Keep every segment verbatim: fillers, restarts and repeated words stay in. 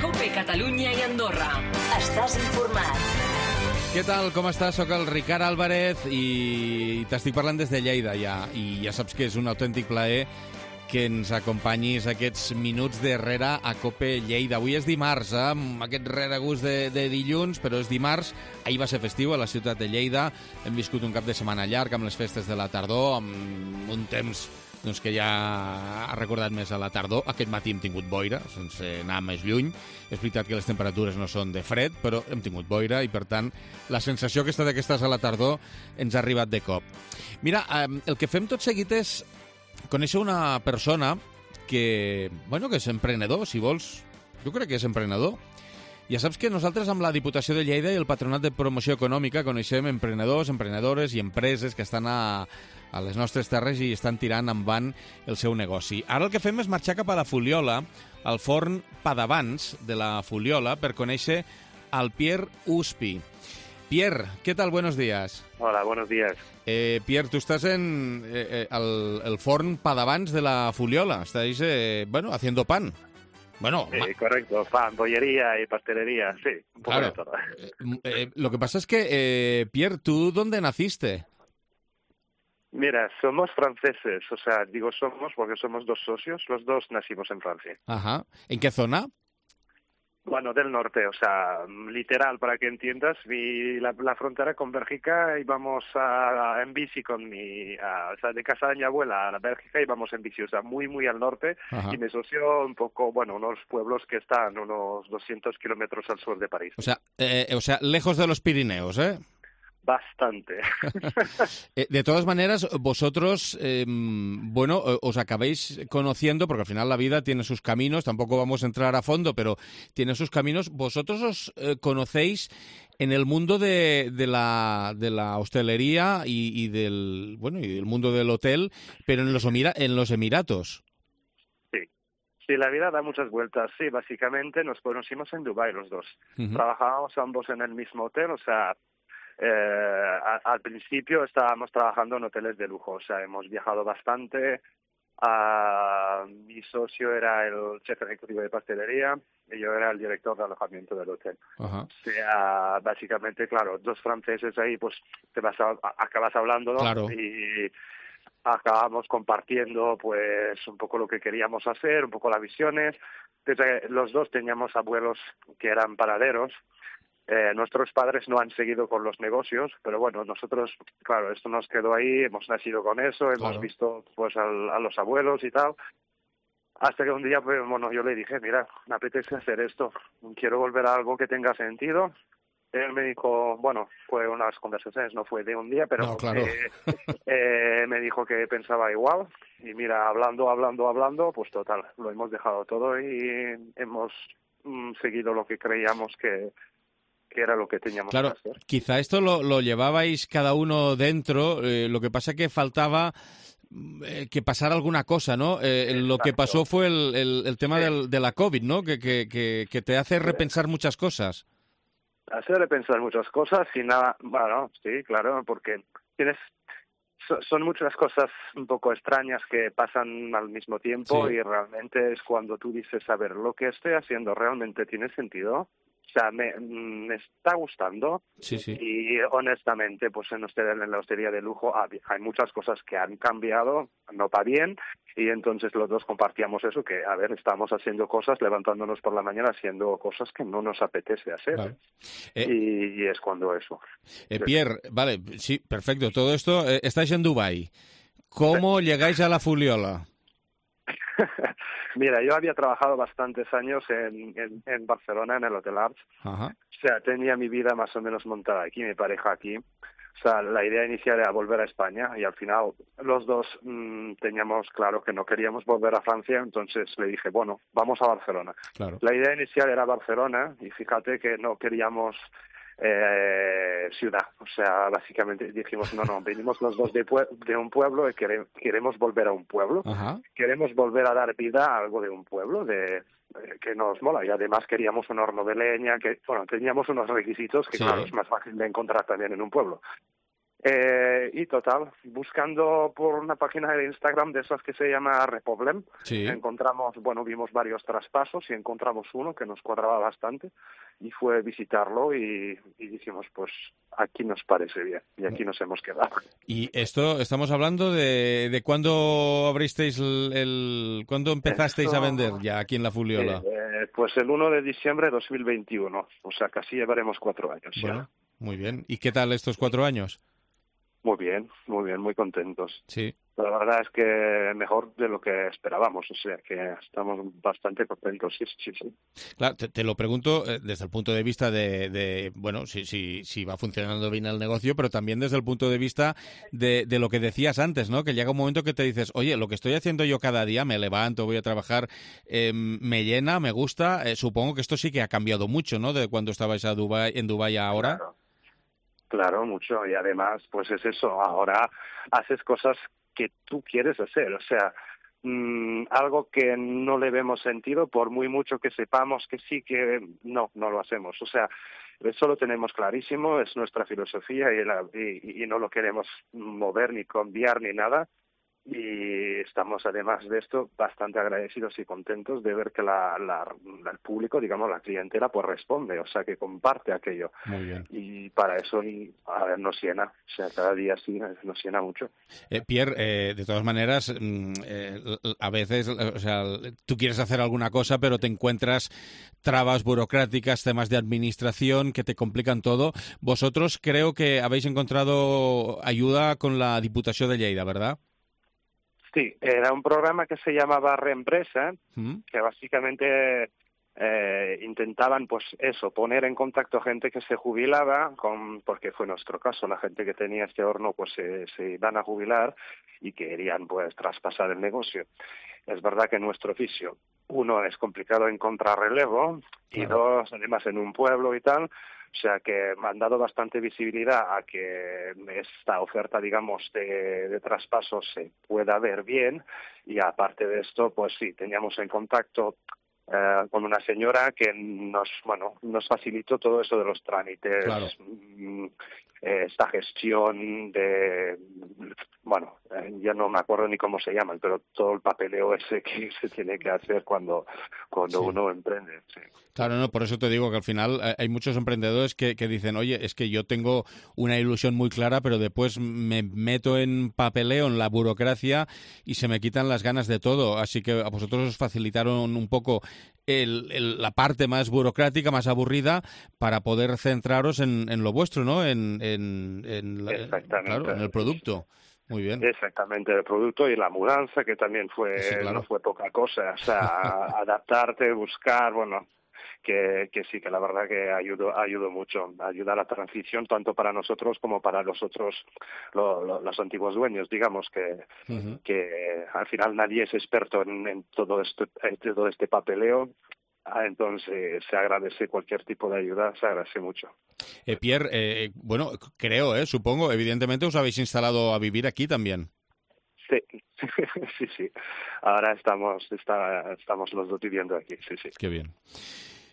COPE Catalunya i Andorra. Estàs informat. Què tal, com estàs? Soc el Ricard Álvarez i t'estic parlant des de Lleida ja, i ja saps que és un autèntic plaer que ens acompanyis aquests minuts darrere a COPE Lleida. Avui és dimarts, eh? Amb aquest regust de, de dilluns, però és dimarts. Ahir va ser festiu a la ciutat de Lleida. Hem viscut un cap de setmana llarg amb les festes de la tardor, amb un temps doncs, que ja ha recordat més a la tardor. Aquest matí hem tingut boira, sense anar més lluny. És veritat que les temperatures no són de fred, però hem tingut boira i, per tant, la sensació aquesta de que estàs a la tardor ens ha arribat de cop. Mira, el que fem tot seguit és conèixer una persona que, bueno, que és emprenedor, si vols. Jo crec que és emprenedor. Ja saps que nosaltres amb la Diputació de Lleida i el Patronat de Promoció Econòmica coneixem emprenedors, emprenedores i empreses que estan a, a les nostres terres i estan tirant endavant el seu negoci. Ara el que fem és marxar cap a la Fuliola, al forn Padavans de la Fuliola, per conèixer al Pierre Uspi. Pierre, ¿qué tal? Buenos días. Hola, buenos días. Eh, Pierre, tú estás en eh, el, el forn Padavans de la Fuliola. Estáis, eh, bueno, haciendo pan. Bueno, sí, correcto, pan, bollería y pastelería, sí, un poco claro. de todo. Eh, eh, lo que pasa es que, eh, Pierre, ¿tú dónde naciste? Mira, somos franceses, o sea, digo somos porque somos dos socios, los dos nacimos en Francia. Ajá. ¿En qué zona? Bueno, del norte, o sea, literal, para que entiendas, vi la, la frontera con Bélgica, íbamos a, a, en bici con mi, a, o sea, de casa de mi abuela a la Bélgica íbamos en bici, o sea, muy, muy al norte. Ajá. Y me soció un poco, bueno, unos pueblos que están unos doscientos kilómetros al sur de París. O sea, eh, o sea, lejos de los Pirineos, ¿eh? Bastante. De todas maneras, vosotros, eh, bueno, os acabáis conociendo, porque al final la vida tiene sus caminos, tampoco vamos a entrar a fondo, pero tiene sus caminos. Vosotros os eh, conocéis en el mundo de, de, la, de la hostelería y, y del, bueno, y del mundo del hotel, pero en los, en los Emiratos. Sí. Sí, la vida da muchas vueltas. Sí, básicamente nos conocimos en Dubái los dos. Uh-huh. Trabajábamos ambos en el mismo hotel, o sea... Eh, a, al principio estábamos trabajando en hoteles de lujo, o sea, hemos viajado bastante. Uh, mi socio era el jefe ejecutivo de pastelería y yo era el director de alojamiento del hotel. Uh-huh. O sea, básicamente, claro, dos franceses ahí, pues te vas a, acabas hablando, ¿no? Claro. Y acabamos compartiendo, pues, un poco lo que queríamos hacer, un poco las visiones. Entonces, los dos teníamos abuelos que eran panaderos. Eh, nuestros padres no han seguido con los negocios, pero bueno, nosotros, claro, esto nos quedó ahí, hemos nacido con eso, hemos claro. visto pues al, a los abuelos y tal, hasta que un día, pues, bueno, yo le dije, mira, me apetece hacer esto, quiero volver a algo que tenga sentido. Él me dijo, bueno, fue unas conversaciones, no fue de un día, pero no, claro. eh, eh, me dijo que pensaba igual, y mira, hablando, hablando, hablando, pues total, lo hemos dejado todo y hemos mm, seguido lo que creíamos que que era lo que teníamos claro, que hacer. Quizá esto lo, lo llevabais cada uno dentro, eh, lo que pasa que faltaba eh, que pasara alguna cosa, ¿no? Eh, lo que pasó fue el, el, el tema sí. del, de la COVID, ¿no? Que, que, que, que te hace repensar sí. muchas cosas. Hace repensar muchas cosas y nada, bueno, sí, claro, porque tienes... son muchas cosas un poco extrañas que pasan al mismo tiempo sí. y realmente es cuando tú dices, a ver, lo que estoy haciendo realmente tiene sentido. O sea, me, me está gustando sí, sí. y honestamente, pues en, usted, en la hostelería de lujo hay muchas cosas que han cambiado, no para bien, y entonces los dos compartíamos eso, que a ver, estamos haciendo cosas, levantándonos por la mañana, haciendo cosas que no nos apetece hacer. Vale. Eh, y, y es cuando eso. Eh, Pierre, vale, sí, perfecto, todo esto, eh, estáis en Dubái. ¿Cómo sí. llegáis a la Fuliola? Mira, yo había trabajado bastantes años en, en, en Barcelona, en el Hotel Arts. Ajá. O sea, tenía mi vida más o menos montada aquí, mi pareja aquí. O sea, la idea inicial era volver a España y al final los dos mmm, teníamos claro que no queríamos volver a Francia, entonces le dije, bueno, vamos a Barcelona. Claro. La idea inicial era Barcelona y fíjate que no queríamos... Eh, ciudad, o sea, básicamente dijimos, no, no, venimos los dos de, pue- de un pueblo y quere- queremos volver a un pueblo, Ajá. queremos volver a dar vida a algo de un pueblo, de eh, que nos mola, y además queríamos un horno de leña, que, bueno, teníamos unos requisitos que, sí. claro, es más fácil de encontrar también en un pueblo. Eh, y total, buscando por una página de Instagram de esas que se llama Repoblem, sí. encontramos, bueno, vimos varios traspasos y encontramos uno que nos cuadraba bastante y fue visitarlo y, y dijimos, pues aquí nos parece bien y aquí nos hemos quedado. Y esto, estamos hablando de, de cuándo abristeis el, el cuándo empezasteis Esto, a vender ya aquí en la Fuliola. Eh, pues el uno de diciembre de dos mil veintiuno, o sea, casi llevaremos cuatro años. Bueno, ya. Muy bien. ¿Y qué tal estos cuatro años? Muy bien, muy bien, muy contentos. Sí. La verdad es que mejor de lo que esperábamos, o sea que estamos bastante contentos, sí, sí, sí. Claro, te, te lo pregunto eh, desde el punto de vista de, de bueno, si, si, si va funcionando bien el negocio, pero también desde el punto de vista de, de lo que decías antes, ¿no? Que llega un momento que te dices, oye, lo que estoy haciendo yo cada día, me levanto, voy a trabajar, eh, me llena, me gusta. Eh, supongo que esto sí que ha cambiado mucho, ¿no? De cuando estabais a Dubái, en Dubái a ahora. Claro. Claro, mucho. Y además, pues es eso, ahora haces cosas que tú quieres hacer. O sea, mmm, algo que no le vemos sentido, por muy mucho que sepamos que sí, que no, no lo hacemos. O sea, eso lo tenemos clarísimo, es nuestra filosofía y, la, y, y no lo queremos mover ni cambiar ni nada. Y estamos, además de esto, bastante agradecidos y contentos de ver que la, la, el público, digamos, la clientela, pues responde, o sea, que comparte aquello. Muy bien. Y para eso, y, a ver, nos llena, o sea, cada día sí nos llena mucho. Eh, Pierre, eh, de todas maneras, mm, eh, a veces, o sea, tú quieres hacer alguna cosa, pero te encuentras trabas burocráticas, temas de administración que te complican todo. Vosotros creo que habéis encontrado ayuda con la Diputació de Lleida, ¿verdad? Sí, era un programa que se llamaba Reempresa, ¿Mm? que básicamente eh, intentaban, pues eso, poner en contacto gente que se jubilaba, con, porque fue nuestro caso, la gente que tenía este horno pues se, se iban a jubilar y querían pues traspasar el negocio. Es verdad que en nuestro oficio, uno, es complicado encontrar relevo, y Claro. dos, además en un pueblo y tal. O sea que me han dado bastante visibilidad a que esta oferta, digamos, de, de traspaso se pueda ver bien, y aparte de esto, pues sí, teníamos en contacto eh, con una señora que nos, bueno, nos facilitó todo eso de los trámites, Claro. mm, eh, esta gestión de, bueno, eh, ya no me acuerdo ni cómo se llaman, pero todo el papeleo ese que se tiene que hacer cuando, cuando Sí. uno emprende, sí. Claro, no, por eso te digo que al final eh, hay muchos emprendedores que, que dicen, oye, es que yo tengo una ilusión muy clara, pero después me meto en papeleo, en la burocracia y se me quitan las ganas de todo. Así que a vosotros os facilitaron un poco el, el, la parte más burocrática, más aburrida, para poder centraros en, en lo vuestro, ¿no? En, en, en, la, Exactamente. claro, en el producto. Muy bien. Exactamente, el producto y la mudanza, que también fue, Sí, claro. no fue poca cosa. O sea, adaptarte, buscar, bueno, que, que sí, que la verdad que ayudó, ayudó mucho, ayuda a la transición tanto para nosotros como para los otros, lo, lo, los antiguos dueños, digamos, que, Uh-huh. que al final nadie es experto en, en todo esto, en todo este papeleo. Ah, entonces se agradece cualquier tipo de ayuda, se agradece mucho. Eh, Pierre, eh, bueno, creo, eh, supongo, evidentemente os habéis instalado a vivir aquí también. Sí, sí, sí. Ahora estamos, está, estamos los dos viviendo aquí, sí, sí. Qué bien.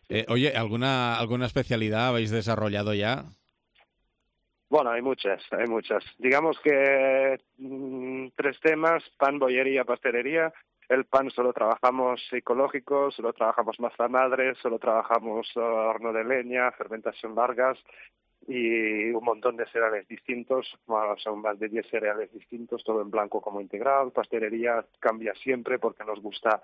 Eh, oye, ¿alguna alguna especialidad habéis desarrollado ya? Bueno, hay muchas, hay muchas. Digamos que mmm, tres temas: pan, bollería, pastelería. El pan solo trabajamos ecológico, solo trabajamos masa madre, solo trabajamos uh, horno de leña, fermentación largas y un montón de cereales distintos. Bueno, son más de diez cereales distintos, todo en blanco como integral. Pastelería cambia siempre porque nos gusta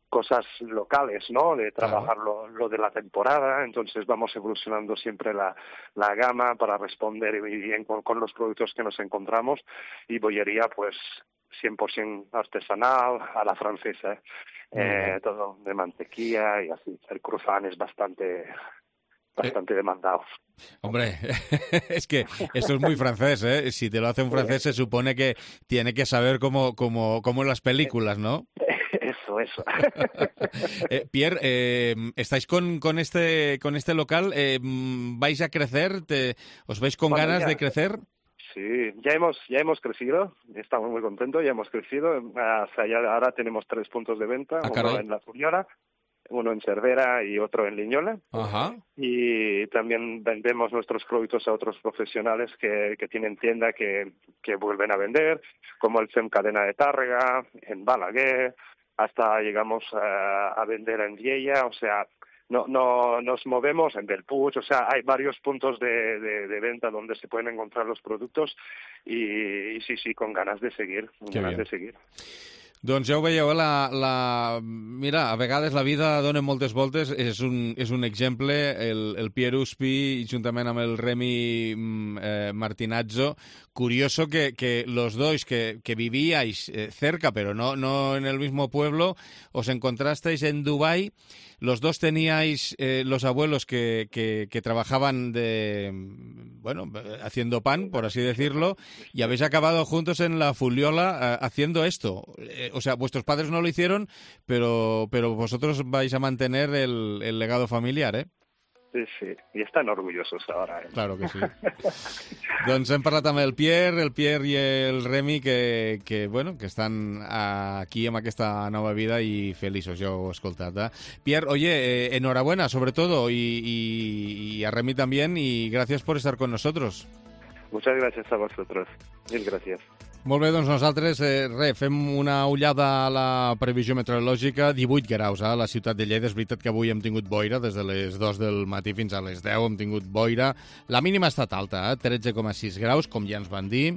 cosas locales, ¿no? De trabajar lo, lo de la temporada, entonces vamos evolucionando siempre la, la gama para responder bien con, con los productos que nos encontramos. Y bollería, pues cien por ciento artesanal, a la francesa, ¿eh? Eh, todo de mantequilla y así. El croissant es bastante bastante eh, demandado. Hombre, es que esto es muy francés, ¿eh? Si te lo hace un francés se supone que tiene que saber como, como, como en las películas, ¿no? Eso, eso. eh, Pierre, eh, ¿estáis con, con, este, con este local? Eh, ¿Vais a crecer? Te, ¿Os veis con bueno, ganas ya, de crecer? Sí, ya hemos ya hemos crecido, estamos muy contentos, ya hemos crecido. O sea, ya ahora tenemos tres puntos de venta, ah, uno en La Fuliola, uno en Cervera y otro en Liñola. Ajá. Y también vendemos nuestros productos a otros profesionales que, que tienen tienda que, que vuelven a vender, como el FEM Cadena de Tàrrega, en Balaguer, hasta llegamos a, a vender en Viella, o sea, no, no nos movemos en Bellpuig, o sea, hay varios puntos de, de, de venta donde se pueden encontrar los productos y, y sí, sí, con ganas de seguir, con Qué ganas bien. de seguir. Doncs ja ho veieu, la, la... mira, a vegades la vida dona moltes voltes, és un, és un exemple, el, el Pierre Uspi, juntament amb el Remi eh, Martinazzo, curioso que, que los dos que, que vivíais eh, cerca, pero no, no en el mismo pueblo, os encontrasteis en Dubái. Los dos teníais eh, los abuelos que, que, que trabajaban de, bueno, haciendo pan, por así decirlo, y habéis acabado juntos en la Fuliola eh, haciendo esto. Eh, o sea, vuestros padres no lo hicieron, pero, pero vosotros vais a mantener el, el legado familiar, ¿eh? Sí, sí, i estan orgullosos ara. Eh? Claro que sí. Doncs hem parlat amb el Pierre, el Pierre i el Remi, que, que, bueno, que estan aquí amb aquesta nova vida i feliços, ja ho he escoltat. ¿eh? Pierre, oye, eh, enhorabuena sobre todo, y, y, y a Remi también, y gracias por estar con nosotros. Muchas gracias a vosotros. Mil gracias. Molt bé, doncs nosaltres, eh, re, fem una ullada a la previsió meteorològica. divuit graus a la ciutat de Lleida. És veritat que avui hem tingut boira, des de les dues del matí fins a les deu hem tingut boira. La mínima ha estat alta, eh? tretze coma sis graus, com ja ens van dir.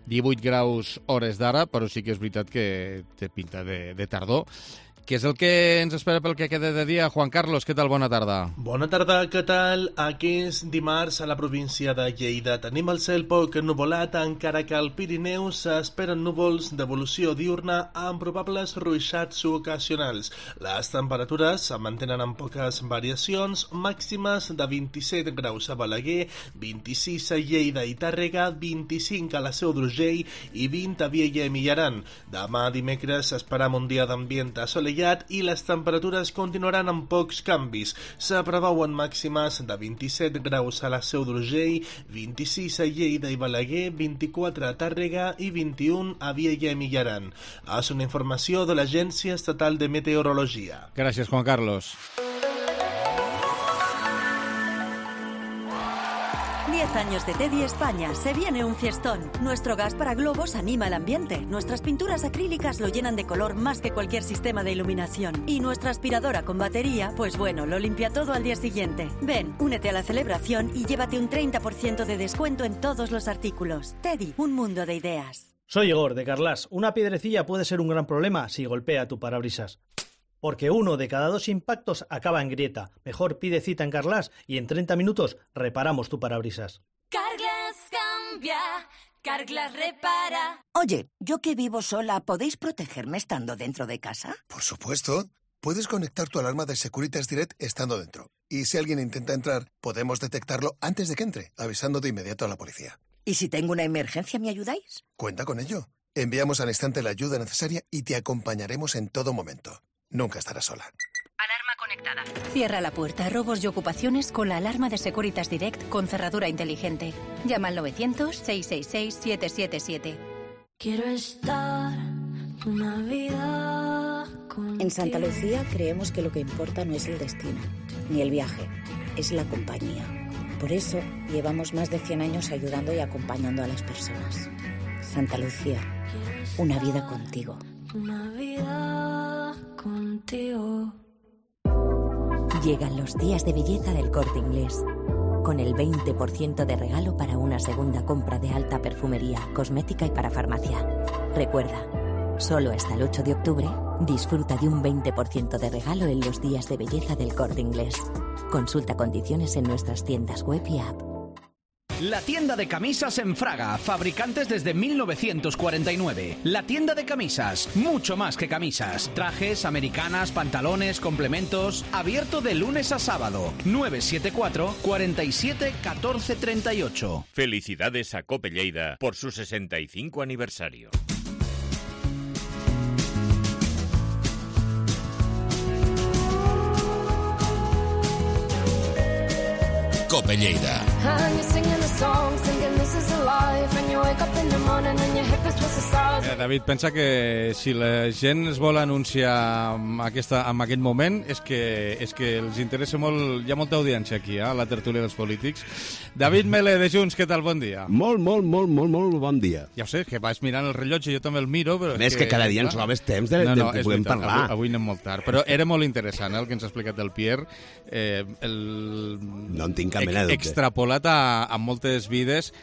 divuit graus hores d'ara, però sí que és veritat que té pinta de, de tardor. Què és el que ens espera pel que queda de dia? Juan Carlos, què tal? Bona tarda. Bona tarda, què tal? Aquest dimarts a la província de Lleida tenim el cel poc nuvolat, encara que al Pirineu s'esperen núvols d'evolució diurna amb probables ruixats ocasionals. Les temperatures es mantenen amb poques variacions, màximes de vint-i-set graus a Balaguer, vint-i-sis a Lleida i Tàrrega, vint-i-cinc a la Seu d'Urgell i vint a Viella i Millaran. Demà dimecres esperam un dia d'ambient assolellat i les temperatures continuaran amb pocs canvis. Se preveuen màximes de vint-i-set graus a la Seu d'Urgell, vint-i-sis a Lleida i Balaguer, vint-i-quatre a Tàrrega i vint-i-un a Viella i Millaran. És una informació de l'Agència Estatal de Meteorologia. Gràcies, Juan Carlos. diez años de Teddy España, se viene un fiestón. Nuestro gas para globos anima el ambiente. Nuestras pinturas acrílicas lo llenan de color más que cualquier sistema de iluminación. Y nuestra aspiradora con batería, pues bueno, lo limpia todo al día siguiente. Ven, únete a la celebración y llévate un treinta por ciento de descuento en todos los artículos. Teddy, un mundo de ideas. Soy Igor, de Carlas. Una piedrecilla puede ser un gran problema si golpea tu parabrisas. Porque uno de cada dos impactos acaba en grieta. Mejor pide cita en Carlas y en treinta minutos reparamos tu parabrisas. Carglass cambia, Carglass repara. Oye, yo que vivo sola, ¿podéis protegerme estando dentro de casa? Por supuesto. Puedes conectar tu alarma de Securitas Direct estando dentro. Y si alguien intenta entrar, podemos detectarlo antes de que entre, avisando de inmediato a la policía. ¿Y si tengo una emergencia, me ayudáis? Cuenta con ello. Enviamos al instante la ayuda necesaria y te acompañaremos en todo momento. Nunca estarás sola. Alarma conectada. Cierra la puerta a robos y ocupaciones con la alarma de Securitas Direct con cerradura inteligente. Llama al novecientos, seiscientos sesenta y seis, siete siete siete. Quiero estar una vida contigo. En Santa Lucía creemos que lo que importa no es el destino, ni el viaje, es la compañía. Por eso llevamos más de cien años ayudando y acompañando a las personas. Santa Lucía, una vida contigo. Una vida contigo. Llegan los días de belleza del Corte Inglés, con el veinte por ciento de regalo para una segunda compra de alta perfumería, cosmética y para farmacia. Recuerda, solo hasta el ocho de octubre, disfruta de un veinte por ciento de regalo en los días de belleza del Corte Inglés. Consulta condiciones en nuestras tiendas web y app. La tienda de camisas en Fraga, fabricantes desde mil novecientos cuarenta y nueve. La tienda de camisas, mucho más que camisas. Trajes, americanas, pantalones, complementos. Abierto de lunes a sábado. nueve siete cuatro, cuarenta y siete, catorce treinta y ocho. Felicidades a Cope Lleida por su sesenta y cinco aniversario. Cope Lleida. this is a life, and you wake up in the morning and your hip is twisted sides. Eh, David, pensa que si la gent es vol anunciar en, aquesta, en aquest moment és que, és que els interessa molt, hi ha molta audiència aquí, eh, a la tertúlia dels polítics. David Mele, de Junts, què tal? Bon dia. Molt, molt, molt, molt, molt bon dia. Ja ho sé, que vas mirant el rellotge, jo també el miro, però... Més que, que cada dia ens robes temps de, no, no, de que puguem veritat, parlar. Avui, avui anem molt tard, però era molt interessant, eh, el que ens ha explicat el Pierre. Eh, el... No en tinc cap mena de dubte. Extrapolat a, a moltes vides.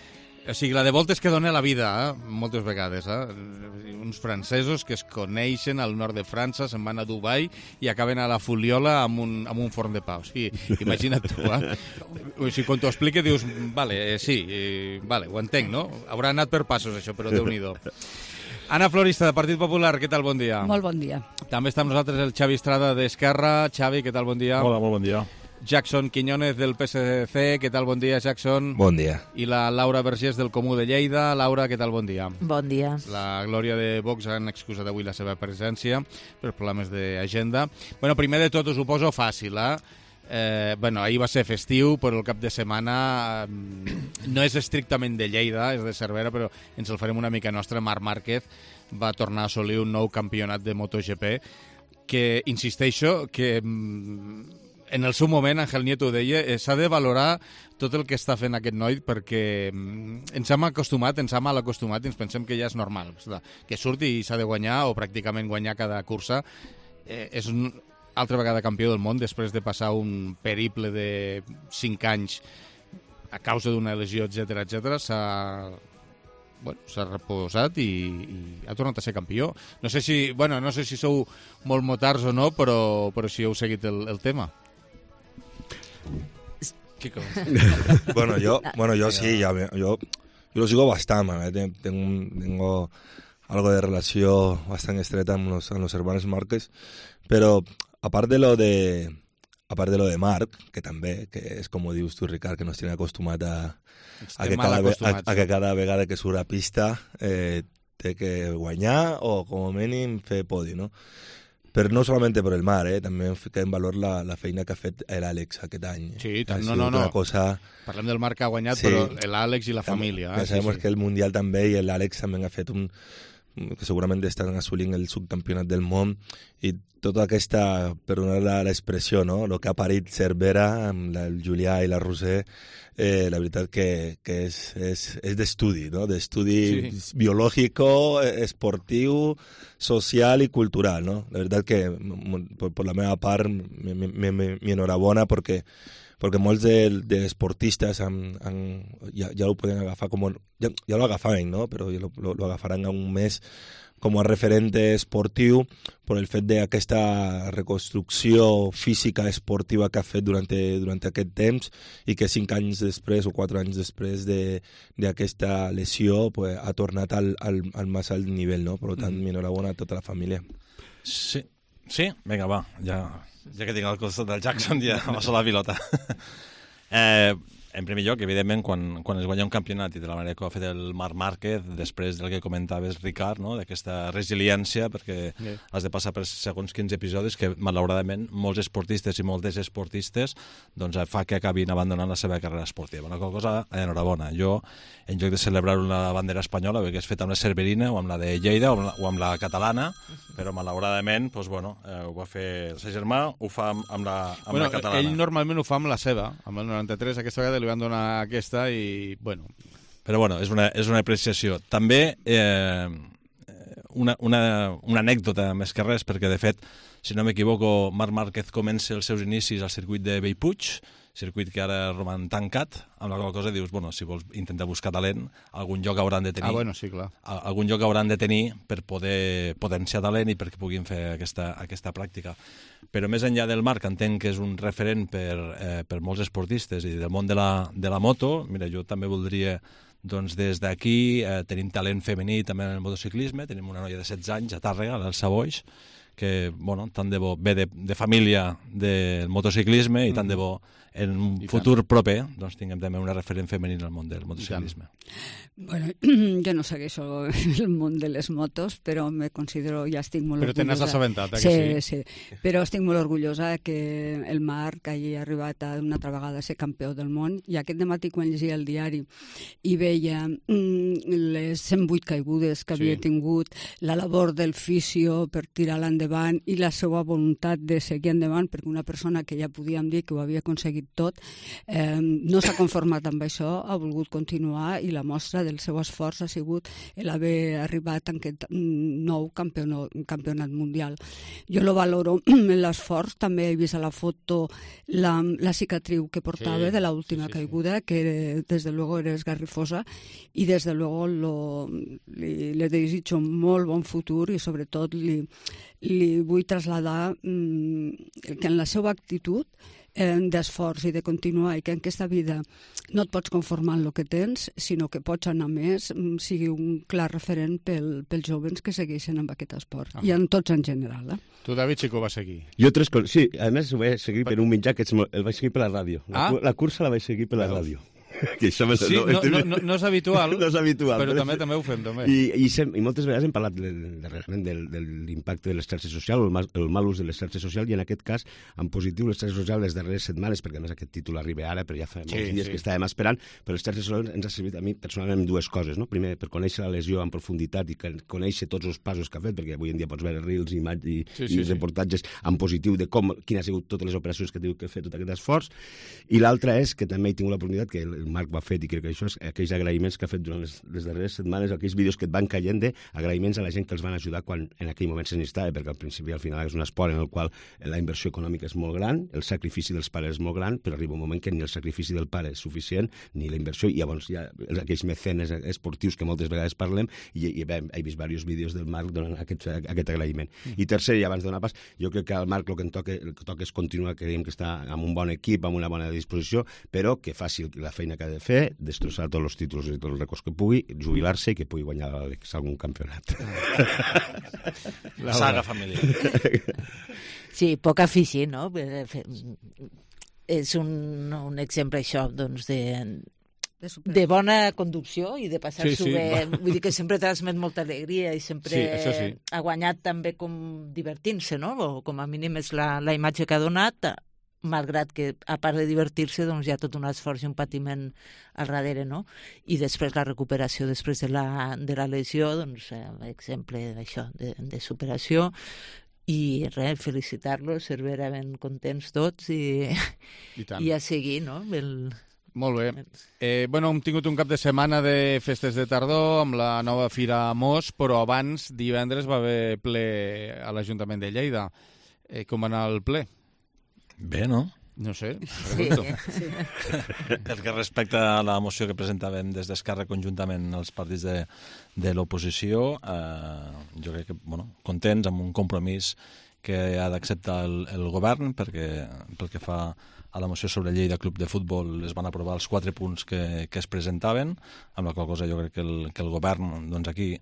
O sigui, la de voltes que dona la vida, eh? Moltes vegades. Eh? Uns francesos que es coneixen al nord de França, se'n van a Dubai i acaben a la Fuliola amb un, amb un forn de pa. O sigui, imagina't tu, eh? O sigui, quan t'ho explica dius, vale, eh, sí, eh, vale, ho entenc, no? Haurà anat per passos, això, però Déu-n'hi-do. Anna Florista, de Partit Popular, què tal? Bon dia. Molt bon dia. També està amb nosaltres el Xavi Estrada d'Esquerra. Xavi, què tal? Bon dia. Hola, molt bon dia. Jackson Quiñones del P S C, què tal? Bon dia, Jackson. Bon dia. I la Laura Vergés del Comú de Lleida. Laura, què tal? Bon dia. Bon dia. La Glòria de Vox han excusat avui la seva presència per problemes d'agenda. Bueno, primer de tot us ho poso fàcil, eh? Eh, bueno, ahir va ser festiu, però el cap de setmana eh, no és estrictament de Lleida, és de Cervera, però ens el farem una mica nostra. Marc Márquez va tornar a assolir un nou campionat de MotoGP que, insisteixo, que en el seu moment, Ángel Nieto ho deia, eh, s'ha de valorar tot el que està fent aquest noi perquè ens hem acostumat, ens hem mal acostumat i ens pensem que ja és normal. Que surti i s'ha de guanyar o pràcticament guanyar cada cursa. Eh, és un altra vegada campió del món després de passar un periple de cinc anys a causa d'una lesió, etcètera, etcètera. S'ha bueno, s'ha reposat i, i ha tornat a ser campió. No sé si, bueno, no sé si sou molt motards o no, però, però si heu seguit el, el tema. Chico. bueno, yo, bueno, yo sí, ya, yo, yo lo sigo bastante, ¿eh? tengo, tengo algo de relación bastante estrecha con los, los hermanos Márquez, pero aparte de lo de aparte de lo de Marc, que també, que és com ho dius tu, Ricard, que nos tiene acostumat a, a, que cada, a, a que cada vegada que surt a pista eh, té que guanyar o com a mínim fer podi, no? Però no solament per el Marc, eh? també fica en valor la, la feina que ha fet l'Àlex aquest any. Sí, tant, no, no, no. Cosa... Parlem del Marc que ha guanyat, sí, però l'Àlex i la família. Ja eh? sabem sí, sí. que el Mundial també i l'Àlex també ha fet un... que segurament estan assolint el subcampionat del món i tota aquesta, per donar l'expressió, no? El que ha parit Cervera amb la, el Julià i la Roser, eh, la veritat que, que és, és, és d'estudi, no? D'estudi sí. biològic, esportiu, social i cultural, no? La veritat que, per, per la meva part, mi enhorabona perquè perquè molts de, de esportistes han, han, ja, ja ho poden agafar com... Ja, ja lo agafaven, no? Però ja lo, lo, lo agafaran un mes com a referente esportiu per el fet d'aquesta reconstrucció física esportiva que ha fet durant, durant aquest temps i que cinc anys després o quatre anys després d'aquesta de, lesió pues, ha tornat al, al, al més alt nivell, no? Per tant, mm. enhorabona a tota la família. Sí, sí? Vinga, va, ja... Ja que tinc el costat del Jackson, ja m'ha la pilota. eh, en primer lloc, evidentment, quan, quan es guanya un campionat i de la manera que ho ha fet el Marc Márquez, després del que comentaves, Ricard, no? D'aquesta resiliència, perquè sí. has de passar per segons quins episodis que, malauradament, molts esportistes i moltes esportistes doncs, fa que acabin abandonant la seva carrera esportiva. Una cosa, enhorabona. Jo, en lloc de celebrar una bandera espanyola, ho hagués fet amb la cerverina o amb la de Lleida o amb la, o amb la catalana, però malauradament, doncs, bueno, eh, ho va fer el seu germà, ho fa amb, amb, la, amb bueno, la catalana. Ell normalment ho fa amb la seva, amb el noranta-tres, aquesta vegada li van donar aquesta i, bueno... Però, bueno, és una, és una apreciació. També eh, una, una, una anècdota més que res, perquè, de fet, si no m'equivoco, Marc Márquez comença els seus inicis al circuit de Bellpuig, circuit que ara roman tancat, amb la qual cosa dius, bueno, si vols intentar buscar talent, algun lloc hauran de tenir. Ah, bueno, sí, clar. Algun lloc hauran de tenir per poder potenciar talent i perquè puguin fer aquesta, aquesta pràctica. Però més enllà del Marc, entenc que és un referent per, eh, per molts esportistes i del món de la, de la moto. Mira, jo també voldria, doncs, des d'aquí, eh, tenim talent femení també en el motociclisme, tenim una noia de setze anys a Tàrrega, l'Elsa Boix, que bueno, tant de bo ve de, de família del motociclisme i tant de bo en un I futur tant. proper doncs tinguem també una referent femenina al món del motociclisme. Bueno, jo no segueixo el món de les motos, però me considero, ja estic molt però orgullosa. Però te n'has assabentat, eh, sí, que sí? Sí, però estic molt orgullosa que el Marc hagi arribat a una altra vegada a ser campió del món, i aquest dematí quan llegia el diari i veia mm, les cent vuit caigudes que havia sí. tingut, la labor del fisio per tirar-la endavant i la seva voluntat de seguir endavant, perquè una persona que ja podíem dir que ho havia aconseguit tot, eh, no s'ha conformat amb això, ha volgut continuar, i la mostra del seu esforç ha sigut l'haver arribat en aquest nou campionat, campionat mundial. Jo lo valoro l'esforç, també he vist a la foto la, la cicatriu que portava sí, de l'última sí, sí, caiguda, sí. que des de luego era esgarrifosa, i des de luego lo, li, li desitjo molt bon futur, i sobretot li, li vull traslladar mm, que en la seva actitud d'esforç i de continuar, i que en aquesta vida no et pots conformar amb el que tens, sinó que pots anar més, sigui un clar referent pel, pels joves que segueixen amb aquest esport, ah. i en tots en general. Eh? Tu, David, sí que ho vas seguir. Jo tres coses, sí, a més ho vaig seguir per un mitjà que el vaig seguir per la ràdio. La, ah? la cursa la vaig seguir per la ràdio. Que això sí, no, no, no, no és habitual, no és habitual però, però també també ho fem. També. I, i, sem, I moltes vegades hem parlat darrerament de, de, de l'impacte de les xarxes socials, el mal, el mal ús de les xarxes socials, i en aquest cas, en positiu, les xarxes socials les darreres setmanes, perquè a més aquest títol arriba ara, però ja fa molts sí, dies sí. que estàvem esperant, però les xarxes socials ens ha servit a mi personalment dues coses, no? Primer, per conèixer la lesió en profunditat i conèixer tots els passos que ha fet, perquè avui en dia pots veure reels i, i, sí, sí, i reportatges sí. en positiu de com, quines han sigut totes les operacions que ha tingut que fer tot aquest esforç, i l'altra és que també he tingut l'oportunitat, que el Marc va fer i crec que això és aquells agraïments que ha fet durant les, les darreres setmanes, aquells vídeos que et van caient d'agraïments a la gent que els van ajudar quan en aquell moment se necessitava, perquè al principi al final és un esport en el qual la inversió econòmica és molt gran, el sacrifici dels pares és molt gran, però arriba un moment que ni el sacrifici del pare és suficient, ni la inversió, i llavors hi ha aquells mecenes esportius que moltes vegades parlem, i, i he, he vist diversos vídeos del Marc donant aquest, aquest agraïment. Mm. I tercer, i abans de donar pas, jo crec que al Marc el que, toca, el que toca és continuar, creiem que està amb un bon equip, amb una bona disposició, però que faci la feina que ha de fer, destrossar tots els títols i tots els records que pugui, jubilar-se i que pugui guanyar l'Àlex algun campionat. La saga familiar. Sí, poc afici, no? És un, un exemple, això, doncs, de... de bona conducció i de passar-s'ho sí, sí. bé. Vull dir que sempre transmet molta alegria i sempre sí, sí. ha guanyat també com divertint-se, no? O com a mínim és la, la imatge que ha donat, malgrat que, a part de divertir-se, doncs hi ha tot un esforç i un patiment al darrere, no? I després la recuperació després de la, de la lesió, doncs, eh, exemple d'això, de, de superació, i res, felicitar-los, ser ben contents tots i, I, i a seguir, no? El... Molt bé. Eh, bueno, hem tingut un cap de setmana de festes de tardor amb la nova Fira Mos, però abans, divendres, va haver ple a l'Ajuntament de Lleida. Eh, com va anar el ple? Bé, no? No sé, pregunto. Sí, sí. Pel que respecta a la moció que presentàvem des d'Esquerra conjuntament als partits de, de l'oposició, eh, jo crec que, bueno, contents amb un compromís que ha d'acceptar el, el govern, perquè pel que fa a la moció sobre Lleida Club de Futbol es van aprovar els quatre punts que, que es presentaven, amb la qual cosa jo crec que el, que el govern, doncs aquí,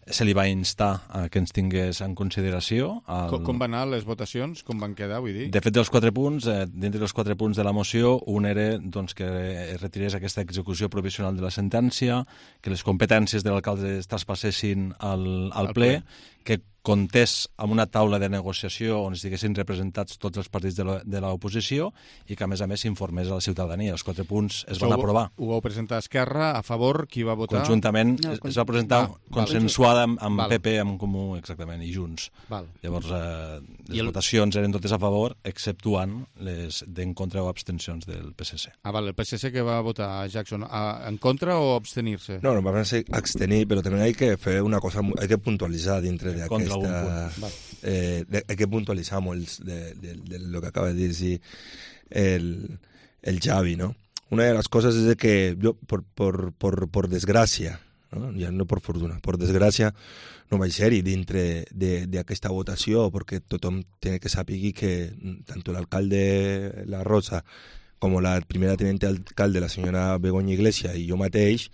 se li va instar a que ens tingués en consideració. El... Com, com van anar les votacions? Com van quedar, vull dir? De fet, dels quatre punts, eh, dintre dels quatre punts de la moció, un era doncs, que es retirés aquesta execució provisional de la sentència, que les competències de l'alcalde es traspassessin al, al, al ple, ple, que comptés amb una taula de negociació on estiguessin representats tots els partits de l'oposició i que, a més a més, s'informés a la ciutadania. Els quatre punts es van aprovar. Ho vau presentar a Esquerra, a favor, qui va votar? Conjuntament, no, es va presentar ah, consensuada amb, amb val. P P, amb Comú, exactament, i Junts. Val. Llavors, eh, les el... votacions eren totes a favor, exceptuant les d'en contra o abstencions del P S C. Ah, val, el P S C que va votar Jackson, a, en contra o abstenir-se? No, no, van a ser abstenir, pero también hay que hacer una cosa, hay que puntualizar dentro de aquesta... Eh, hay que puntualizar molt de, de, de lo que acaba de decir el, el Xavi, ¿no? Una de las cosas es de que yo, por, por, por, por desgràcia, ¿no? Ja no per fortuna, per desgràcia no vaig ser-hi dintre d'aquesta votació perquè tothom té que saber que tant l'alcalde La Rosa com la primera tenente alcalde, la senyora Begoña Iglesias, i jo mateix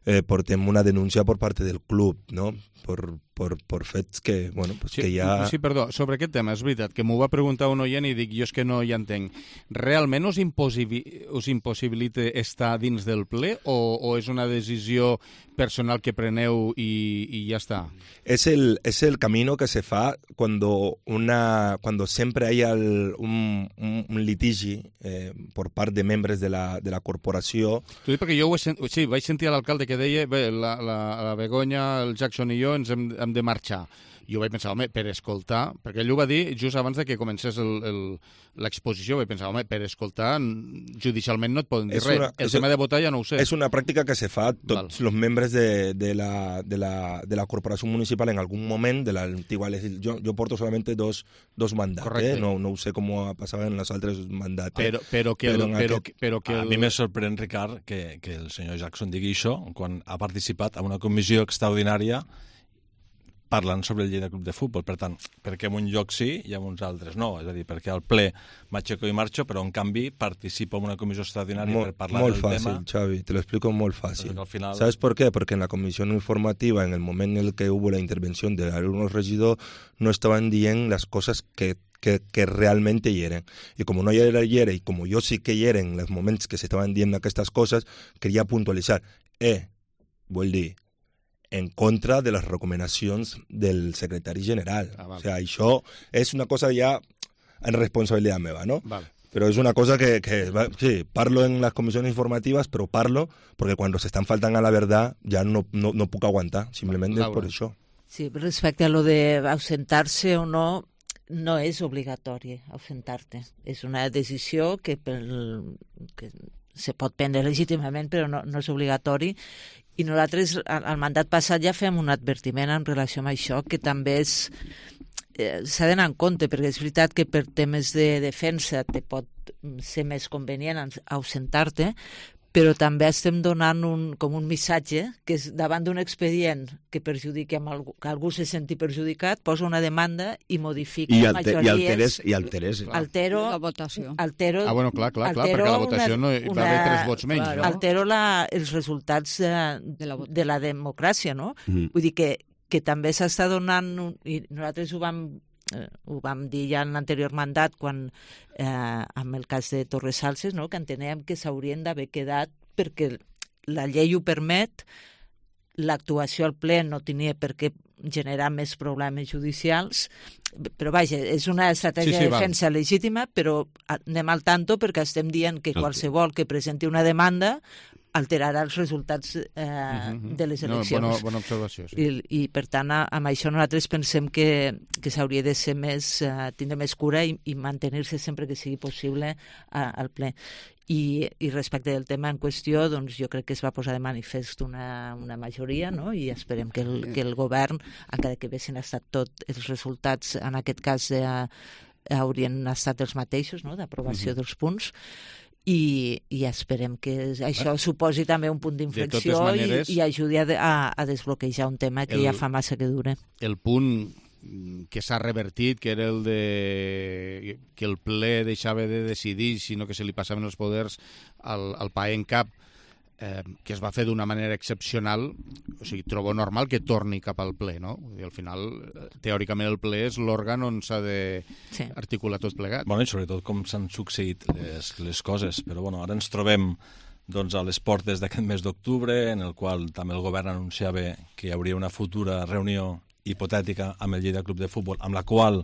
eh, portem una denúncia per part del club, no? Per, per, per fets que, bueno, pues sí, que ja... Sí, perdó, sobre aquest tema, és veritat, que m'ho va preguntar un oient i dic, jo és que no hi entenc. Realment us, impossibi us impossibilita estar dins del ple o, o és una decisió personal que preneu i, i ja està? Es el, es el camino que se fa cuando, una, cuando siempre hay el, un, un, un litigi eh, por part de membres de la, de la corporació. T'ho dic perquè jo ho he sent... sí, vaig sentir a l'alcalde que deia bé, la, la, la Begoña, el Jackson i jo ens hem, hem de marxar. Jo vaig pensar, home, per escoltar, perquè ell ho va dir just abans de que comencés l'exposició, vaig pensar, home, per escoltar, judicialment no et poden dir res. Una, el tema de votar ja no ho sé. És una pràctica que se fa tots els membres de, de, la, de, la, de la corporació municipal en algun moment de l'antigua legislació. Jo, jo porto solamente dos, dos mandats, eh? no, no ho sé com ha passat en els altres mandats. Però, però que, el, però, aquest... però que el... A mi me sorprèn, Ricard, que, que el senyor Jackson digui això quan ha participat en una comissió extraordinària parlant sobre el Lleida Club de Futbol. Per tant, perquè en un lloc sí i en uns altres no. És a dir, perquè al ple m'aixeco i marxo, però en canvi participo en una comissió extraordinària Mol, per parlar del fácil, tema. Molt fàcil, Xavi, te lo explico molt fácil. Al final... ¿Sabes por qué? Porque en la comisión informativa, en el momento en el que hubo la intervención de algunos regidores, no estaban dient las cosas que Que, que realmente hieren. Y como no era hiere, y como yo sí que hieren en los momentos que se estaban dient aquestes coses, quería puntualitzar. Eh, vull dir, en contra de les recomanacions del secretari general. Ah, vale. O sea, això és una cosa ja en responsabilitat meva, ¿no? Vale. Pero es una cosa que, que, sí, parlo en las comisiones informativas, pero parlo porque cuando se están faltando a la verdad ya no, no, no puc aguantar, simplemente es por això. Sí, respecte a lo de ausentar-se o no, no és obligatori ausentar-te. És una decisió que, pel, que se pot prendre legítimament, però no, no és obligatori. I nosaltres, al mandat passat, ja fem un advertiment en relació amb això, que també és eh, s'ha d'anar en compte, perquè és veritat que per temes de defensa te pot ser més convenient ausentar-te, però també estem donant un, com un missatge que és davant d'un expedient que perjudiquem algú, que algú se senti perjudicat, posa una demanda i modifica I, alter, majories. I alteres, i alteres. Altero, la votació. Altero, ah, bueno, clar, clar, clar perquè la votació una, no hi va haver tres vots menys. Claro. No? Altero la, els resultats de, de, la, de la democràcia, no? Mm. Vull dir que, que també s'està donant, i nosaltres ho vam Eh, ho vam dir ja en l'anterior mandat quan eh, amb el cas de Torres Salses, no? Que entenem que s'haurien d'haver quedat perquè la llei ho permet, l'actuació al ple no tenia per què generar més problemes judicials, però vaja, és una estratègia sí, sí, de defensa val. legítima, però anem al tanto perquè estem dient que qualsevol que presenti una demanda alterarà els resultats eh, uh-huh. de les eleccions. No, bona, bona observació, sí. I, i per tant, amb això nosaltres pensem que, que s'hauria de ser més, uh, tindre més cura i, i mantenir-se sempre que sigui possible uh, al ple. I, I respecte del tema en qüestió, doncs jo crec que es va posar de manifest una, una majoria, no? I esperem que el, que el govern, encara que haguessin estat tots els resultats, en aquest cas eh, haurien estat els mateixos, no? D'aprovació uh-huh. dels punts, I, i esperem que això suposi també un punt d'inflexió maneres, i, i ajudi a, a, a desbloquejar un tema que el, ja fa massa que dure. El punt que s'ha revertit, que era el de que el ple deixava de decidir, sinó que se li passaven els poders al, al P A E en cap, eh, que es va fer d'una manera excepcional, o sigui, trobo normal que torni cap al ple, no? I al final, teòricament, el ple és l'òrgan on s'ha d'articular sí. tot plegat. Bueno, i sobretot com s'han succeït les, les coses, però bueno, ara ens trobem doncs, a les portes d'aquest mes d'octubre, en el qual també el govern anunciava que hi hauria una futura reunió hipotètica amb el Lleida Club de Futbol, amb la qual,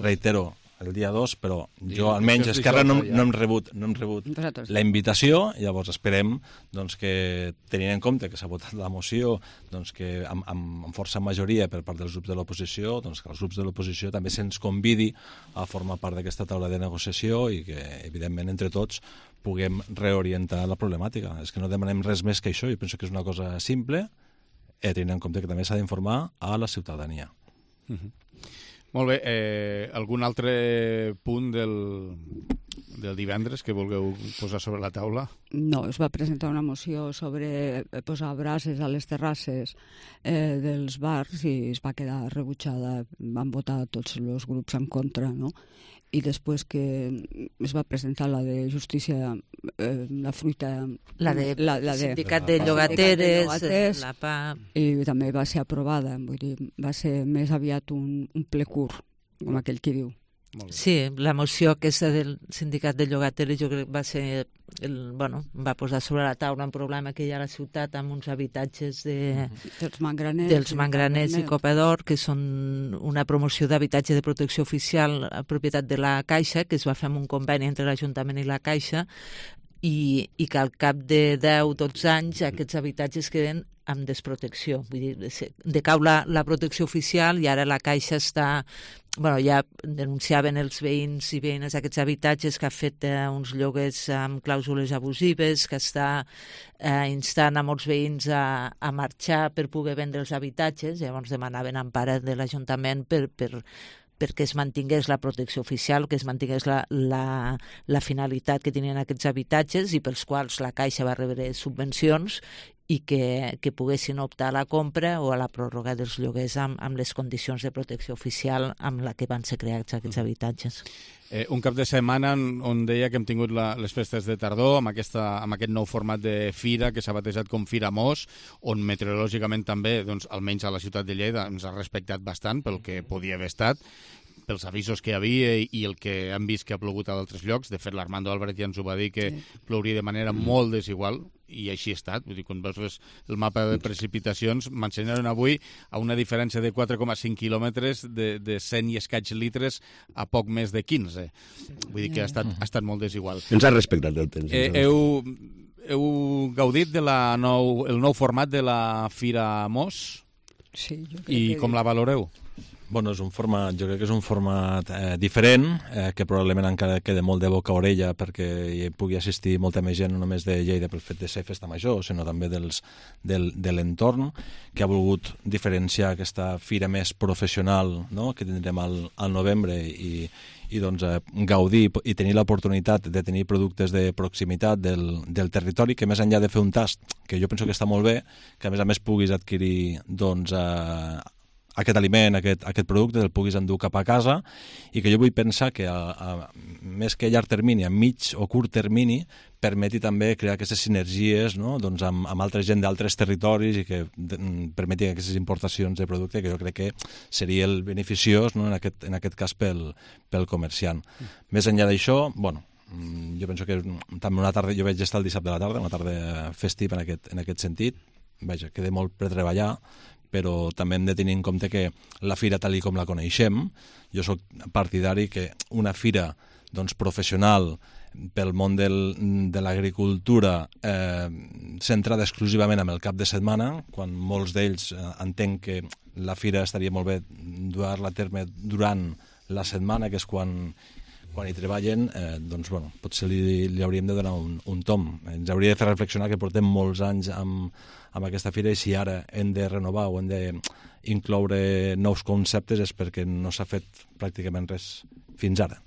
reitero, el dia dos, però jo almenys Esquerra no, no hem rebut, no hem rebut la invitació, llavors esperem doncs, que, tenint en compte que s'ha votat la moció, doncs, que amb, amb, amb força majoria per part dels grups de l'oposició, doncs, que els grups de l'oposició també se'ns convidi a formar part d'aquesta taula de negociació i que, evidentment, entre tots puguem reorientar la problemàtica. És que no demanem res més que això, i penso que és una cosa simple, eh, tenint en compte que també s'ha d'informar a la ciutadania. Uh-huh. Molt bé, eh, algun altre punt del, del divendres que vulgueu posar sobre la taula? No, es va presentar una moció sobre posar brases a les terrasses eh, dels bars i es va quedar rebutjada, van votar tots els grups en contra, no? i després que es va presentar la de justícia, eh, la fruita... La de, la, la de sindicat de llogateres, la P A... I també va ser aprovada, vull dir, va ser més aviat un, un ple curt, com aquell que diu. Sí, la moció aquesta del sindicat de llogateres jo crec que va ser, el, bueno, va posar sobre la taula un problema que hi ha a la ciutat amb uns habitatges de, dels mangraners, dels mangraners i Copador, que són una promoció d'habitatge de protecció oficial a propietat de la Caixa, que es va fer amb un conveni entre l'Ajuntament i la Caixa, i, i que al cap de deu o dotze anys aquests habitatges queden amb desprotecció. Vull dir, decau la, la protecció oficial i ara la Caixa està... Bueno, ja denunciaven els veïns i veïnes d'aquests habitatges que ha fet eh, uns lloguers amb clàusules abusives, que està eh, instant a molts veïns a, a marxar per poder vendre els habitatges. Llavors demanaven empara de l'Ajuntament per... per perquè es mantingués la protecció oficial, que es mantingués la, la, la finalitat que tenien aquests habitatges i pels quals la Caixa va rebre subvencions i que, que poguessin optar a la compra o a la pròrroga dels lloguers amb, amb les condicions de protecció oficial amb la que van ser creats aquests habitatges. Eh, un cap de setmana on, on deia que hem tingut la, les festes de tardor amb, aquesta, amb aquest nou format de fira que s'ha batejat com Fira Mos, on meteorològicament també, doncs, almenys a la ciutat de Lleida, ens ha respectat bastant pel que podia haver estat, pels avisos que hi havia i el que hem vist que ha plogut a d'altres llocs. De fet, l'Armando Álvarez ja ens ho va dir, que sí. plouria de manera molt desigual, i així ha estat. Vull dir, quan veus les, el mapa de precipitacions, m'ensenyaran avui a una diferència de quatre coma cinc quilòmetres de, de cent i escaig litres a poc més de quinze. Vull dir que ha estat, ha estat molt desigual. Ens ha respectat el temps. Eh, heu, heu gaudit de la nou, el nou format de la Fira Mos? Sí. Jo I com la valoreu? Bueno, és un format, jo crec que és un format eh, diferent, eh, que probablement encara queda molt de boca a orella perquè hi pugui assistir molta més gent, no només de Lleida pel fet de ser festa major, sinó també dels, del, de l'entorn, que ha volgut diferenciar aquesta fira més professional, no?, que tindrem al, al novembre i, i doncs, eh, gaudir i tenir l'oportunitat de tenir productes de proximitat del, del territori, que més enllà de fer un tast, que jo penso que està molt bé, que a més a més puguis adquirir doncs, eh, aquest aliment, aquest, aquest producte, el puguis endur cap a casa, i que jo vull pensar que a, a, més que a llarg termini, a mig o curt termini, permeti també crear aquestes sinergies, no?, doncs amb, amb altra gent d'altres territoris i que de, permeti aquestes importacions de producte, que jo crec que seria el beneficiós, no?, en, aquest, en aquest cas pel, pel comerciant. Mm. Més enllà d'això, bueno, jo penso que també una tarda, jo vaig estar el dissabte de la tarda, una tarda festiva en aquest, en aquest sentit, vaja, queda molt per treballar, però també hem de tenir en compte que la fira tal com la coneixem, jo sóc partidari que una fira doncs, professional pel món del, de l'agricultura eh, centrada exclusivament en el cap de setmana, quan molts d'ells eh, entenc que la fira estaria molt bé dur-la a terme durant la setmana, que és quan, quan hi treballen, eh, doncs bueno, potser li, li hauríem de donar un, un tom. Ens hauria de fer reflexionar que portem molts anys amb, amb aquesta fira i si ara hem de renovar o hem d'incloure nous conceptes és perquè no s'ha fet pràcticament res fins ara.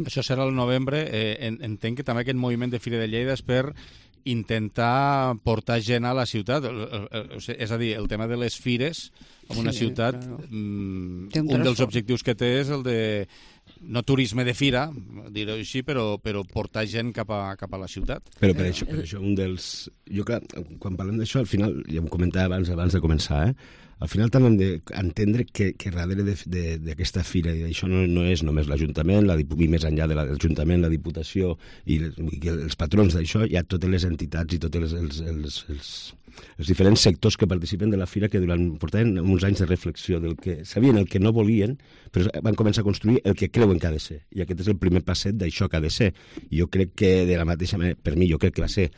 Això serà el novembre. Eh, entenc que també aquest moviment de Fira de Lleida és per intentar portar gent a la ciutat. És a dir, el tema de les fires en una sí, ciutat, claro. mm, un, un dels objectius que té és el de no turisme de fira, dir-ho així, però, però portar gent cap a, cap a la ciutat. Però per això, per això un dels... Jo, clar, quan parlem d'això, al final, ja ho comentava abans, abans de començar, eh? Al final també hem d'entendre que, que darrere d'aquesta fira, i això no, no és només l'Ajuntament, la, i més enllà de l'Ajuntament, la Diputació i, i els patrons d'això, hi ha totes les entitats i tots els, els, els, els, els diferents sectors que participen de la fira que durant portaven uns anys de reflexió del que sabien el que no volien, però van començar a construir el que creuen que ha de ser. I aquest és el primer passet d'això que ha de ser. I jo crec que de la mateixa manera, per mi, jo crec que va ser,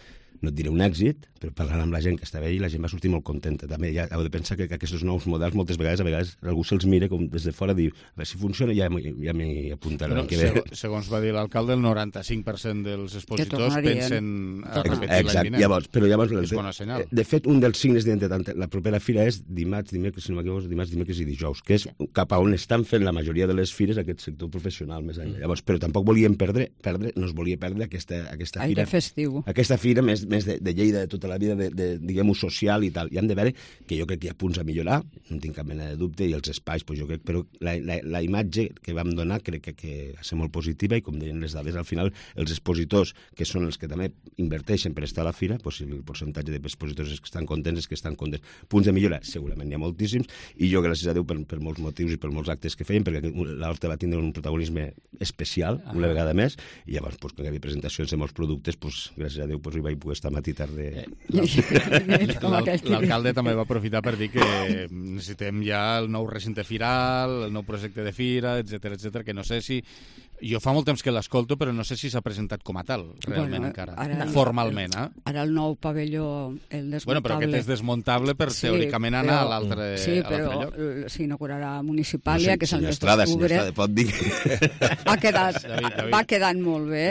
no et diré un èxit, però parlant amb la gent que estava allà, la gent va sortir molt contenta. També ja heu de pensar que, que aquests nous models moltes vegades, a vegades algú se'ls mira com des de fora i diu, a veure si funciona, ja m'hi ja apuntarà. Però, que ve. Segons va dir l'alcalde, el noranta-cinc per cent dels expositors pensen a repetir l'any vinent. Llavors, però llavors, és bona senyal. De fet, un dels signes d'identitat, la propera fira és dimarts, dimecres, si no m'equivoco, dimarts, dimecres i dijous, que és cap a on estan fent la majoria de les fires aquest sector professional més enllà. Llavors, però tampoc volíem perdre, perdre no es volia perdre aquesta, aquesta fira. Aire festiu. Aquesta fira més, més de, de Lleida de tota la vida, de, de diguem-ho, social i tal. I han de veure que jo crec que hi ha punts a millorar, no tinc cap mena de dubte, i els espais, pues jo crec, però la, la, la imatge que vam donar crec que, que ha de ser molt positiva, i com deien les dades, al final els expositors, que són els que també inverteixen per estar a la fira, pues el percentatge d'expositors és que estan contents, és que estan contents. Punts de millora, segurament n'hi ha moltíssims, i jo, gràcies a Déu, per, per molts motius i per molts actes que feien, perquè l'Horta va tindre un protagonisme especial, ah. una vegada més, i llavors, pues, quan hi havia presentacions de molts productes, pues, gràcies a Déu, pues, hi vaig poder estar matí tarda. L'alcalde també va aprofitar per dir que necessitem ja el nou recinte firal, el nou projecte de fira, etcètera, etcètera, que no sé si... Jo fa molt temps que l'escolto, però no sé si s'ha presentat com a tal, realment, bueno, encara, ara, formalment. Eh? Ara el nou pavelló, el desmuntable... Bueno, però aquest és desmuntable per, sí, teòricament, anar però, a l'altre lloc. Sí, però s'inaugurarà Municipàlia, no sé, que és el mes d'octubre. Pot dir. Va, quedat, David, David. va quedant molt bé,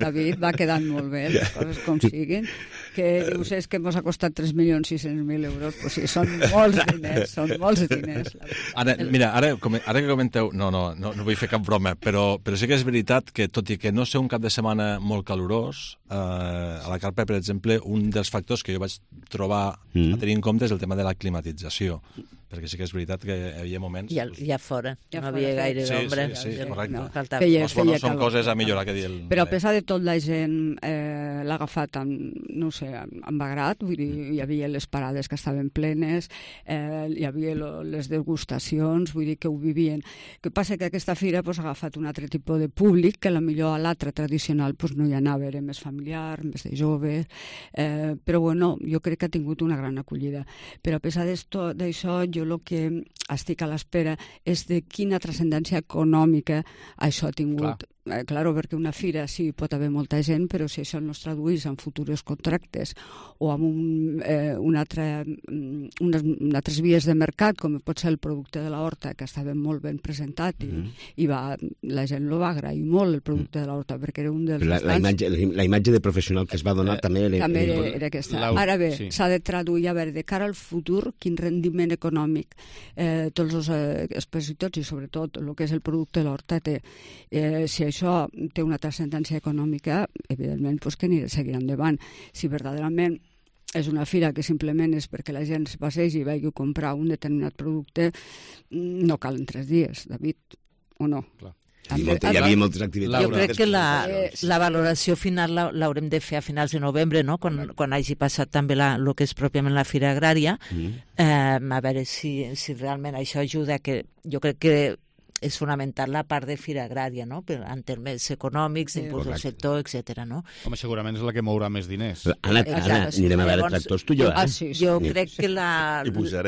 David, va quedant molt bé, les coses com siguin, que dius, és que ens ha costat tres milions sis-cents mil euros, pues sí, són molts diners, són molts diners. Ara, mira, ara, ara que comenteu, no, no, no, no vull fer cap broma, però, però sí que és veritat que, tot i que no sé un cap de setmana molt calorós, eh, a la Carpa, per exemple, un dels factors que jo vaig trobar mm. a tenir en compte és el tema de la climatització, perquè sí que és veritat que hi havia moments... I, i a fora, ja no havia gaire sí, d'ombra. Sí, sí, sí, correcte. No, feia, doncs, bueno, són coses a millorar, que dir el... Però a pesar de tot, la gent eh, l'ha agafat amb, no sé, amb agrat, vull dir, hi havia les parades que estaven plenes, eh, hi havia lo, les degustacions, vull dir que ho vivien. El que passa que aquesta fira pues, ha agafat un altre tipus de públic, que potser a l'altre tradicional pues, no hi anava, era més familiar, més de joves, eh, però bueno, jo crec que ha tingut una gran acollida. Però a pesar d'això, jo el que estic a l'espera és de quina transcendència econòmica això ha tingut. Clar. Eh, claro, perquè una fira sí pot haver molta gent, però si això no es traduís en futurs contractes o amb un, eh, un altre, unes, unes altres vies de mercat, com pot ser el producte de l'horta, que estava molt ben presentat i, mm. i va, la gent lo va agrair molt, el producte de l'horta, perquè era un dels... La, la, imatge, la imatge de professional que es va donar eh, també... Era, també era, era aquesta. Ara bé, s'ha sí. de traduir, a veure, de cara al futur, quin rendiment econòmic eh, tots els eh, expositors i sobretot el que és el producte de l'horta té. Eh, si això té una transcendència econòmica, evidentment pues, que anirà seguir endavant. Si verdaderament és una fira que simplement és perquè la gent es passegi i vagi a comprar un determinat producte, no calen tres dies, David, o no? Clar. També, hi havia moltes activitats. Jo crec que la, la valoració final l'haurem de fer a finals de novembre, no? quan, quan hagi passat també la, el que és pròpiament la Fira Agrària, mm. eh, a veure si, si realment això ajuda, que jo crec que és fonamental la part de Fira Agrària, no? En termes econòmics, d'impuls del sector, etcètera, no? Home, segurament és la que mourà més diners. Anna, Anna anirem a veure tractors tu i jo, eh? Ah, sí, sí. Jo crec que la,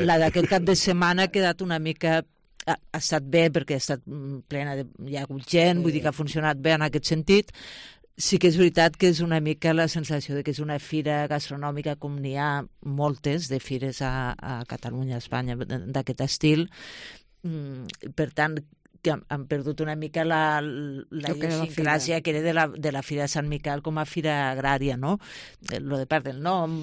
la d'aquest cap de setmana ha quedat una mica... Ha, ha estat bé perquè ha estat plena de... Hi ha hagut gent, vull dir que ha funcionat bé en aquest sentit. Sí que és veritat que és una mica la sensació de que és una fira gastronòmica com n'hi ha moltes de fires a, a Catalunya, a Espanya, d'aquest estil. Per tant, que han perdut una mica la, la idiosincràsia que era de la, de la Fira de Sant Miquel com a fira agrària, no? Lo de part del nom,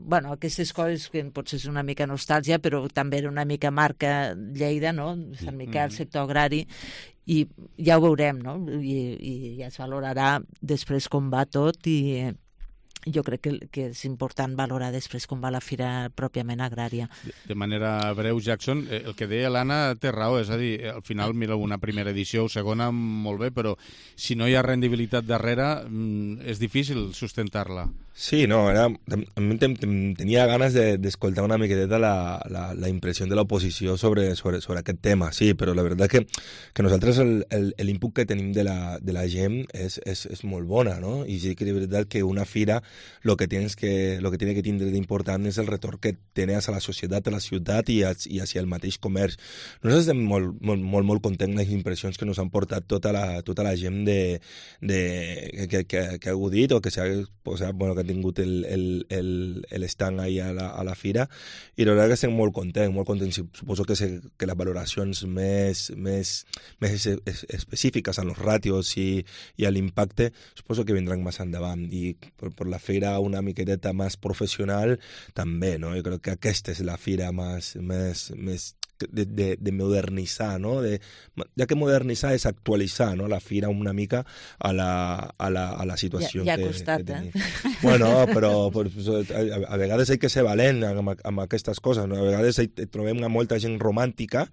bueno, aquestes coses que potser és una mica nostàlgia, però també era una mica marca Lleida, no? Sant Miquel, sector agrari, i ja ho veurem, no? I, i ja es valorarà després com va tot, i jo crec que, que és important valorar després com va la fira pròpiament agrària. De, de manera breu, Jackson, el que deia l'Anna té raó, és a dir, al final, mira, una primera edició o segona, molt bé, però si no hi ha rendibilitat darrere, és difícil sustentar-la. Sí, no, era, a mi tenia ganes d'escoltar de, una miqueta la, la, la impressió de l'oposició sobre, sobre, sobre aquest tema, sí, però la veritat que, que nosaltres l'input que tenim de la, de la gent és, és, és molt bona, no? I sí que és veritat que una fira lo que tienes que lo que tiene que tindre d'important és el retorn que tens a la societat, a la ciutat i, a, i hacia el mateix comerç. Nosaltres estem molt, molt, molt, molt contents amb les impressions que ens han portat tota la, tota la gent de, de, que, que, que ha agudit o que s'ha posat, bueno, que ha tingut el, el, el, el stand ahí a la, a la fira, i la veritat que estem molt contents, molt contents. Suposo que, se, que les valoracions més, més, més específiques en els ràtios i, i a l'impacte suposo que vindran més endavant, i per, per la fira una miqueta més professional també, no? Jo crec que aquesta és la fira més, més, més de, de, de modernitzar, no? De, ja que modernitzar és actualitzar, no? La fira una mica a la, a la, a la situació ja, ja que, costat, que tenim. Eh? Bueno, però pues, a, a vegades hay que ser valent amb, amb aquestes coses, no? A vegades hi, trobem molta gent romàntica,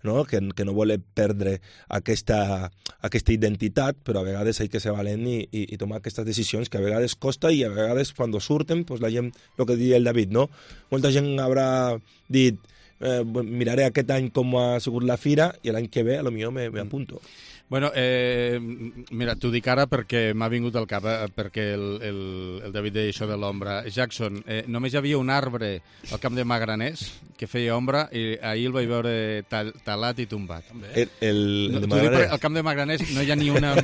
no? Que, que no vol perdre aquesta, aquesta identitat, però a vegades hay que ser valent i, i, i tomar aquestes decisions que a vegades costa i a vegades quan surten, pues, la gent, el que diria el David, no? Molta gent haurà dit eh, miraré aquest any com ha sigut la fira i l'any que ve a lo millor me, me apunto. Bueno, eh, mira, t'ho dic ara perquè m'ha vingut al cap, eh, perquè el, el, el David deia això de l'ombra. Jackson, eh, només hi havia un arbre al camp de Magraners que feia ombra i ahir el vaig veure tal, talat i tombat. El, el, no, el, Magraners... dic, al camp de Magraners no hi ha ni una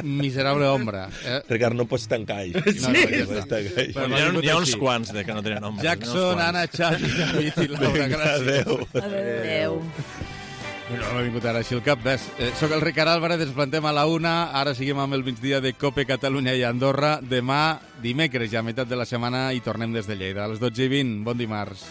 miserable ombra. Eh? Ricard, no pots tancar això. Sí. No, no, ja està. Però hi ha, hi ha uns quants de que no tenen ombra. Jackson, Anna, Xavi, David i Laura, gràcies. Adéu. Adéu. No m'ha vingut ara així el cap, ves. Eh, soc el Ricard Álvarez, ens plantem a la una, ara seguim amb el migdia de Cope Catalunya i Andorra. Demà, dimecres, ja a meitat de la setmana, i tornem des de Lleida. A les dotze i vint, bon dimarts.